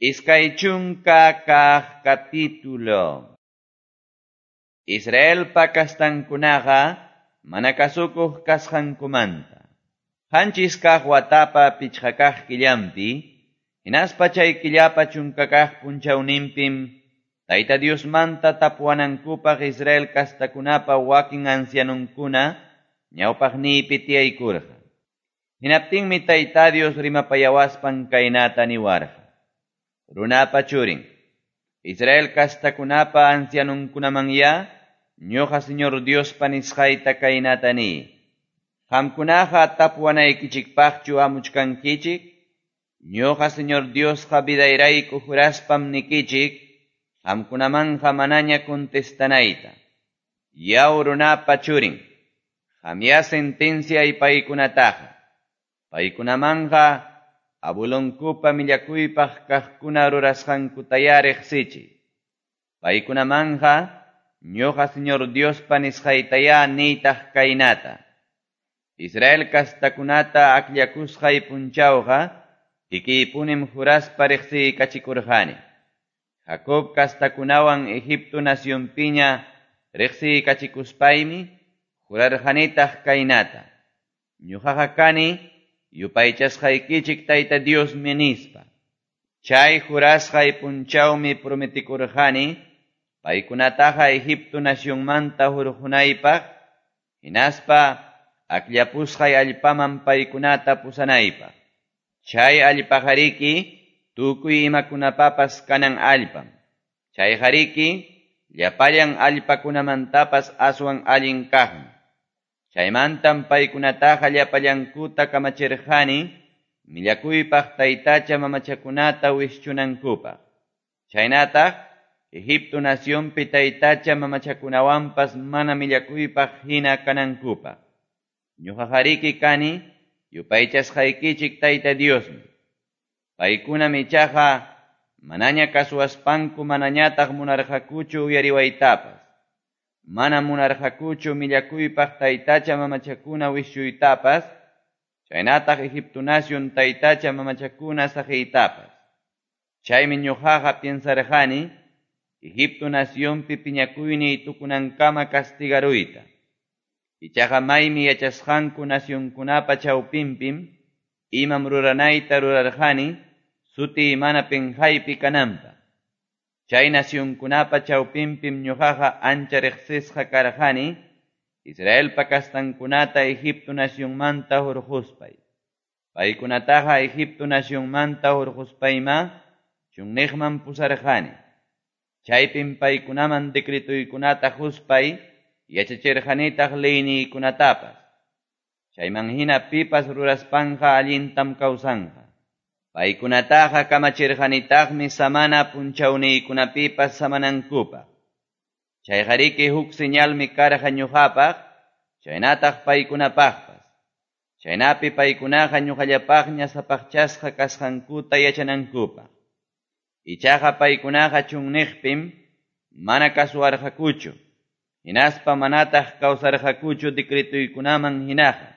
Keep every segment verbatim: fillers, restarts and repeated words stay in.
Iskay chunka kaq capítulo. Israelpa kastankunaqa mana kasukuq kasqankumanta. Qanchis kaq watapa pichqa kaq killanpi, hinaspa chay killapa chunka kaq punchawninpim, Tayta Diosmanta tapuwanankupaq Israel kastakunapa wakin ancianunkuna ñawpaqniypi tiyaykurqa. Hinaptinmi Tayta Dios rimapayawaspan kaynata niwarqa. Runapa churin, Israel kastakunapa ancianunkunamanya, ñuqa Señor Diospa nisqayta kaynata niy. Qamkunaqa tapuwanaykichikpaqchu amuchkankichik? Ñuqa Señor Diosqa vidayrayku juraspam nikichik, qamkunamanqa manaña contestanayta. Yaw runapa churin, qamya sentenciay paykunataqa. Paykunamanqa abuelonkupa millakuypaq kaqkuna rurasqankutaya riqsichiy. Paykunamanqa ñuqa Señor Diospa nisqaytaya niytaq kaynata. Israel kastakunata akllakusqay punchawqa kikiypunim juraspa riqsiykachikurqani. Jacob kastakunawan Egipto nacionpiña riqsiykachikuspaymi jurarqanitaq kaynata. Ñuqaqa kani yupaychasqaykichik Tayta Diosmi nispa. Chay jurasqay punchawmi prometikurqani paykunataqa Egipto nacionmanta hurqunaypaq hinaspa akllapusqay allpaman paykunata pusanaypaq. Chay allpaqariki tukuy imakunapapas kanan allpam. Chayqariki llapallan allpakunamantapas aswan allin kaqmi. Chaymantam paykunataqa llapallankuta kamachirqani millakuypaq taytacha mamachakunata wischunankupaq. Chaynataq Egipto nacionpi taytacha mamachakunawanpas mana millakuypaq hina kanankupaq. Ñuqaqariki kani yupaychasqaykichik Tayta Diosmi. Paykunam ichaqa manaña kasuwaspanku manañataq munarqakuchu uyariwaytapas. Mana munarqakuchu millakuypaq taytacha mamachakuna wischuytapas, chaynataq Egipto nacion taytacha mamachakuna saqiytapas. Chaymi ñuqaqa piensarqani Egipto nacionpi piñakuyniy tukunankama castigaruyta. Ichaqa maymi yachasqanku nacionkunapa chawpinpim imam ruranayta rurarqani sutiy mana pinqaypi kananpaq. Chay nacionkunapa chawpinpim ñuqaqa ancha riqsisqa karqani Israelpa kastankunata Egipto nacionmanta hurquspay. Paykunataqa Egipto nacionmanta hurquspayma chunniqman pusarqani. Chaypim paykunaman decretuykunata huspay yachachirqanitaq leyniykunatapas. Chayman hina pipas ruraspanqa allintam kawsanqa. Paykunataqa kamachirqanitaqmi samana punchawniykunapipas samanankupaq. Chayqariki huk señalmi karqa ñuqapaq, chaynataq paykunapaqpas. Chaynapi paykunaqa ñuqallapaqña sapaqchasqa kasqankuta yachanankupaq. Ichaqa paykunaqa chunniqpim mana kasuwarqakuchu, hinaspa manataq kawsarqakuchu decretuykunaman hinaqa.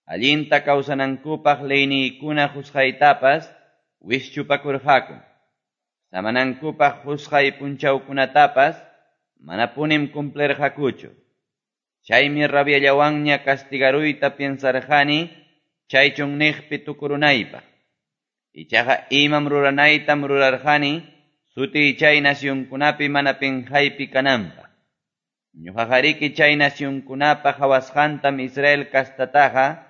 Allinta kawsanankupaq leyniykuna husqaytapas wischupakurqaku. Samanankupaq husqay punchawkunatapas manapunim cumplirqakuchu. Chaymi rabiallawanña castigaruyta piensarqani chay chunniqpi tukurunaypaq. Ichaqa imam ruranaytam rurarqani sutiy chay nacionkunapi mana pinqaypi kananpaq. Ñuqaqariki chay nacionkunapa qhawasqantam Israel kastataqa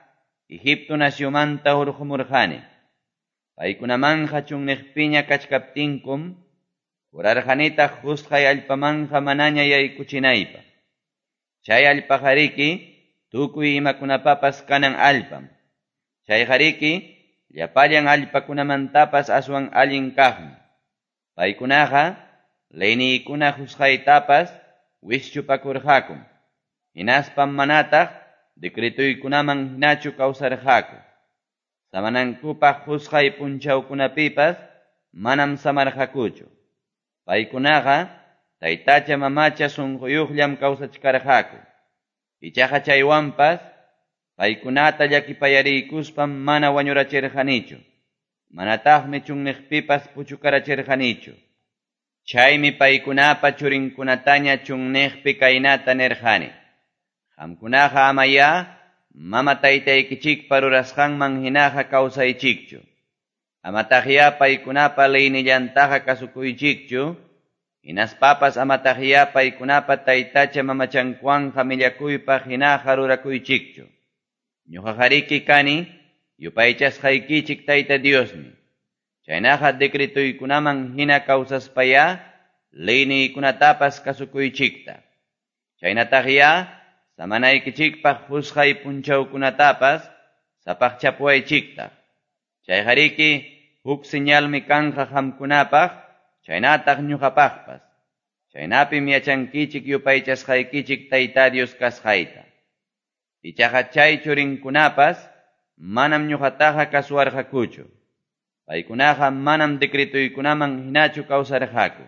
Egipto nacionmanta hurqumurqani. Paykunamanqa chunniqpiña kachkaptinkum jurarqanitaq husqay allpamanqa manaña yaykuchinaypaq. Chay allpaqariki tukuy imakunapapas kanan allpam. Chayqariki llapallan allpakunamantapas aswan allin kaqmi. Paykunaqa leyniykuna husqaytapas wischupakurqakum. Hinaspam manataq decretuykunaman hinachu kawsarqaku. Samanankupaq husqay punchawkunapipas manam samarqakuchu. Paykunaqa taytacha mamacha sunquyuqllam kawsachkarqaku. Ichaqa chaywanpas paykunata llakipayariykuspam mana wañurachirqanichu. Manataqmi chunniqpipas puchukarachirqanichu. Chaymi paykunapa churinkunataña chunniqpi kaynata nirqani: Qamkunaqa amayá mama taytaykichikpa rurasqanman hinaqa kawsaychikchu. Amataqyá paykunapa leynillantaqa kasukuychikchu, hinaspapas amataqyá paykunapa taytacha mamachankuwanqa millakuypaq hinaqa rurakuychikchu. Ñuqaqariki kani yupaychasqaykichik Tayta Diosmi. Chaynaqa decretoykunaman hina kawsaspayá leyniykunatapas kasukuychikta. Chaynataqyá samanaykichikpaq qusqay punchawkunatapas sapaqchapuwaychiktaq. Chayqariki huk señalmi kanqa qamkunapaq, chaynataq ñuqapaqpas. Chaynapim yachankichik yupaychasqaykichik Tayta Dios kasqayta. Ichaqa chay churinkunapas manam ñuqataqa kasuwarqakuchu. Paykunaqa manam decretoykunaman hinachu kawsarqaku.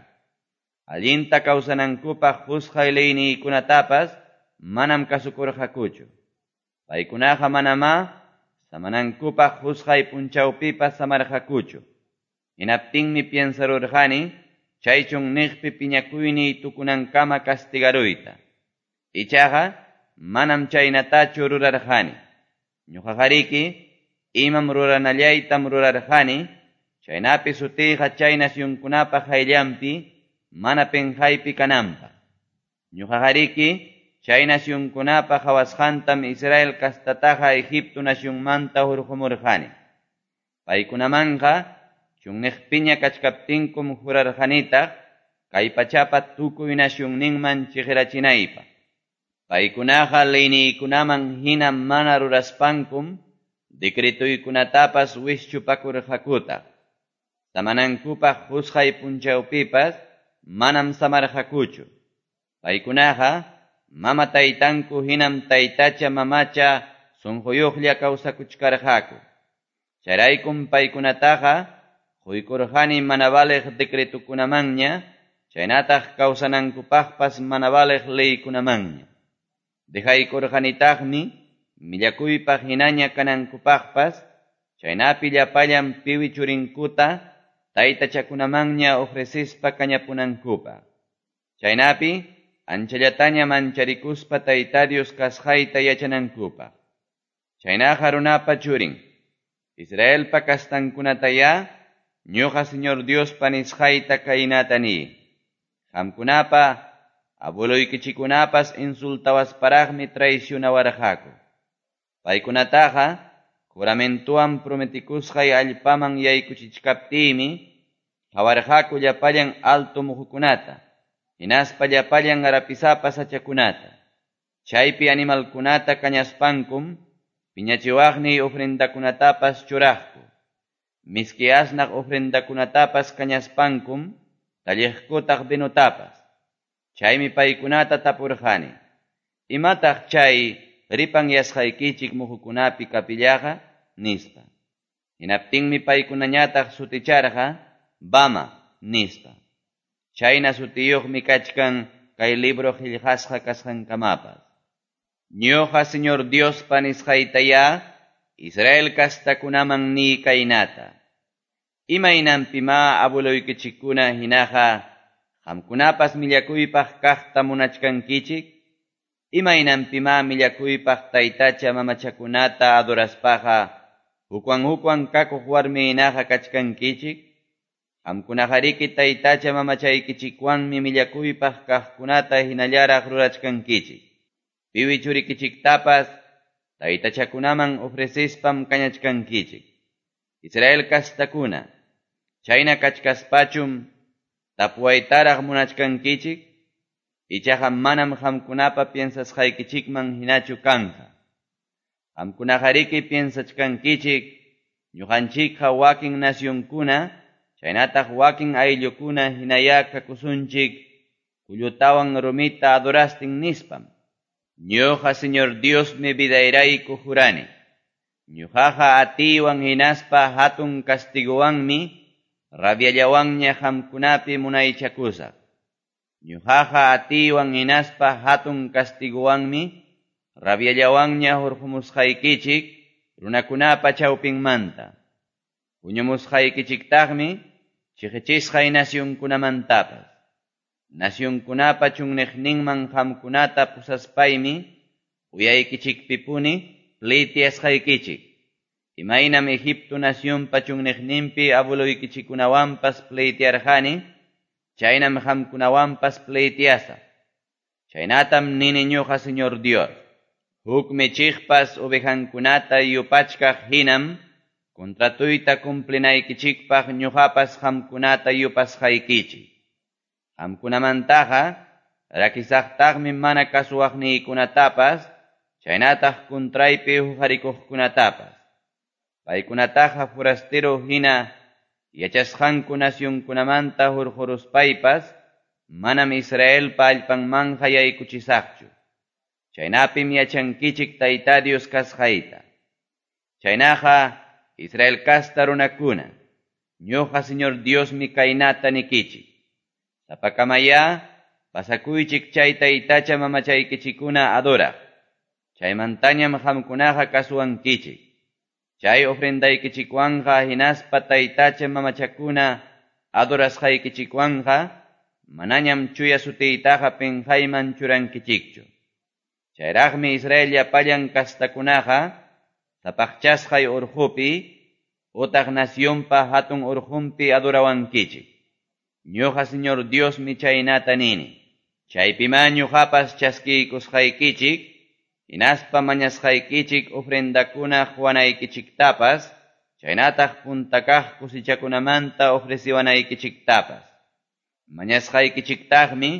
Allinta kawsanankupaq qusqay leyniykunatapas manam kasukurqakuchu. Paykunaqa manamá samanankupaq qusqay punchawpipas samarqakuchu. Hinaptinmi piensarurqani chay chunniqpi piñakuyniy tukunankama castigaruyta. Ichaqa manam chaynatachu rurarqani. Ñuqaqariki imam ruranallaytam rurarqani, chaynapi sutiyqa chay nacionkunapa qayllanpi mana penqaypi kananpaq. Ñuqaqariki chay nacionkunapa qawasqantam Israel kastataqa Egipto nacionmanta hurqumurqani. Paykunamanqa chunniqpiña kachkaptinkum jurarqanitaq kay pachapa tukuy nacionninman chiqirachinaypaq. Paykunaqa leyniykunaman hina mana ruraspankum decretoykunatapas wischupakurqakutaq. Samanankupaq qusqay punchawpipas manam samarqakuchu. Paykunaqa mama taytanku hinam taytacha mamacha sunquyuqlla kawsakuchkarqaku. Chayraykum paykunataqa quykurqani mana valeq decretokunamanña, chaynataq kawsanankupaqpas mana valeq leykunamanña. Dejaykurqanitaqmi millakuypaq hinaña kanankupaqpas, chaynapi llapallan piwi churinkuta taytachakunamanña ofrecispa kañapunankupaq. Chaynapi anchallataña mancharikuspa Tayta Dios kasqayta yachanankupaq. Chaynaqa runapa churin, Israelpa kastankunatayá ñuqa Señor Diospa nisqayta kaynata niy: Qamkunapa abueloykichikunapas insultawasparaqmi traicionawarqaku. Paykunataqa juramentuwan prometikusqay allpaman yaykuchichkaptiymi qawarqaku llapallan alto muhukunata, hinaspa llapallan rapisapa sachakunata. Chaypi animalkunata kañaspankum piñachiwaqniy ofrendakunatapas churaqku. Miski asnaq ofrendakunatapas kañaspankum talliqkutaq vinotapas. Chaymi paykunata tapurqani: Imataq chay ripanyasqaykichik muhukunapi kapillaqa? Nispa. Hinaptinmi paykunañataq suticharqa Bama nispa. Chayna sutiyuqmi kachkan kay libro qillqasqa kasqankamapas. Ñuqa Señor Diospa nisqaytayá Israel kastakunaman niy kaynata: Imaynanpimá abueloykichikkuna hinaqa qamkunapas millakuypaq kaqta munachkankichik? Imaynanpimá millakuypaq taytacha mamachakunata adoraspaqa hukwan hukwan kakuq warmi hinaqa kachkankichik? Qamkunaqariki taytacha mamachaykichikwanmi millakuypaq kaqkunata hinallaraq rurachkankichik. Piwi churikichiktapas taytachakunaman ofrecispam kañachkankichik. Israel kastakuna, chayna kachkaspachum tapuwaytaraq munachkankichik? Ichaqa manam qamkunapa piensasqaykichikman hinachu kanqa. Qamkunaqariki piensachkankichik ñuqanchikqa wakin nacionkuna, chaynataq wakin ayllukuna hinayá kakusunchik kullutawan rumita adorastin nispam. Ñuqa Señor Diosmi vidayrayku jurani. Ñuqaqa atiywan hinaspa hatun castigowanmi rabiallawanña qamkunapi munaychakusaq. Ñuqaqa atiywan hinaspa hatun castigowanmi rabiallawanña hurqumusqaykichik runakunapa chawpinmanta. Huñumusqaykichiktaqmi chiqichisqay nacionkunamantapas. Nacionkunapa chunniqninman qamkunata pusaspaymi uyaykichikpipuni pleiteasqaykichik. Imaynam Egipto nacionpa chunniqninpi abueloykichikkunawanpas pleitearqani, chaynam qamkunawanpas pleiteasaq. Chaynatam nini ñuqa Señor Dios. Huk michiqpas ovejankunata yupachkaq hinam contratuyta cumplinaykichikpaq ñuqapas qamkunata yupasqaykichik. Qamkunamantaqa rakisaqtaqmi mana kasuwaqniykunatapas, chaynataq contraypi huqarikuqkunatapas. Paykunataqa forastero hina yachasqanku nacionkunamanta hurquruspaypas manam Israelpa allpanmanqa yaykuchisaqchu. Chaynapim yachankichik Tayta Dios kasqayta. Chaynaqa Israel kasta runakuna, ñuqa Señor Diosmi kaynata nikichik. Sapakamayá pasakuychik chay taytacha mamachaykichikuna adoraq. Chaymantañam qamkunaqa kasuwankichik. Chay ofrendaykichikwanqa hinaspa taytacha mamachakuna adorasqaykichikwanqa manañam chuya sutiytaqa pinqayman churankichikchu. Chayraqmi Israel llapallan kastakunaqa sapaqchasqay urqupi utaq nacionpa hatun urqunpi adorawankichik. Ñuqa Señor Diosmi chaynata nini. Chaypimá ñuqapas chaskiykusqaykichik, hinaspa mañasqaykichik ofrendakuna quwanaykichiktapas, chaynataq punta kaq cosechakunamanta ofreciwanaykichiktapas. Mañasqaykichiktaqmi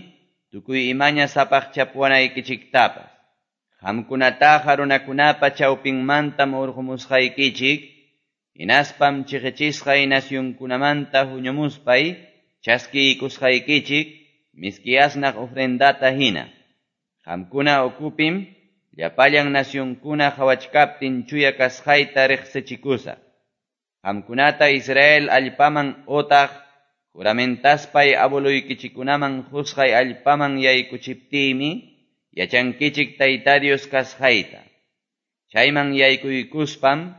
tukuy imaña sapaqchapuwanaykichiktapas. Qamkunataqa runakunapa chawpinmantam urqumusqaykichik, hinaspam chiqichisqay nacionkunamanta huñumuspay chaskiykusqaykichik miski asnaq ofrendata hina. Qamkuna ukupim llapallan nacionkuna qhawachkaptin chuya kasqayta riqsichikusaq. Qamkunata Israel allpaman utaq juramentaspay abueloykichikkunaman qusqay allpaman yaykuchiptiymi yachankichik Tayta Dios kasqayta. Chayman yaykuykuspam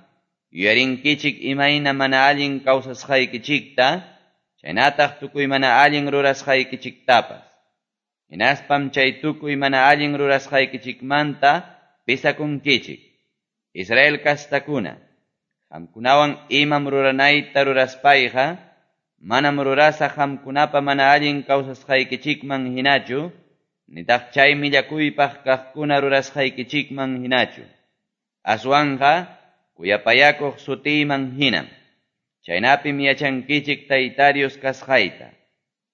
yuyarinkichik imayna mana allin kawsasqaykichikta, chaynataq tukuy mana allin rurasqaykichiktapas. Hinaspam chay tukuy mana allin rurasqaykichikmanta pisakunkichik. Israel kastakuna, qamkunawan imam ruranayta ruraspayqa, manam rurasaq qamkunapa mana allin kawsasqaykichikman hinachu, nitaq chay millakuypaq kaqkuna rurasqaykichikman hinachu. Aswanqa kuyapayakuq sutiyman hinam. Chaynapim yachankichik Tayta Dios kasqayta.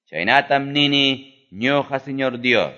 Chaynatam nini ñuqa Señor Dios.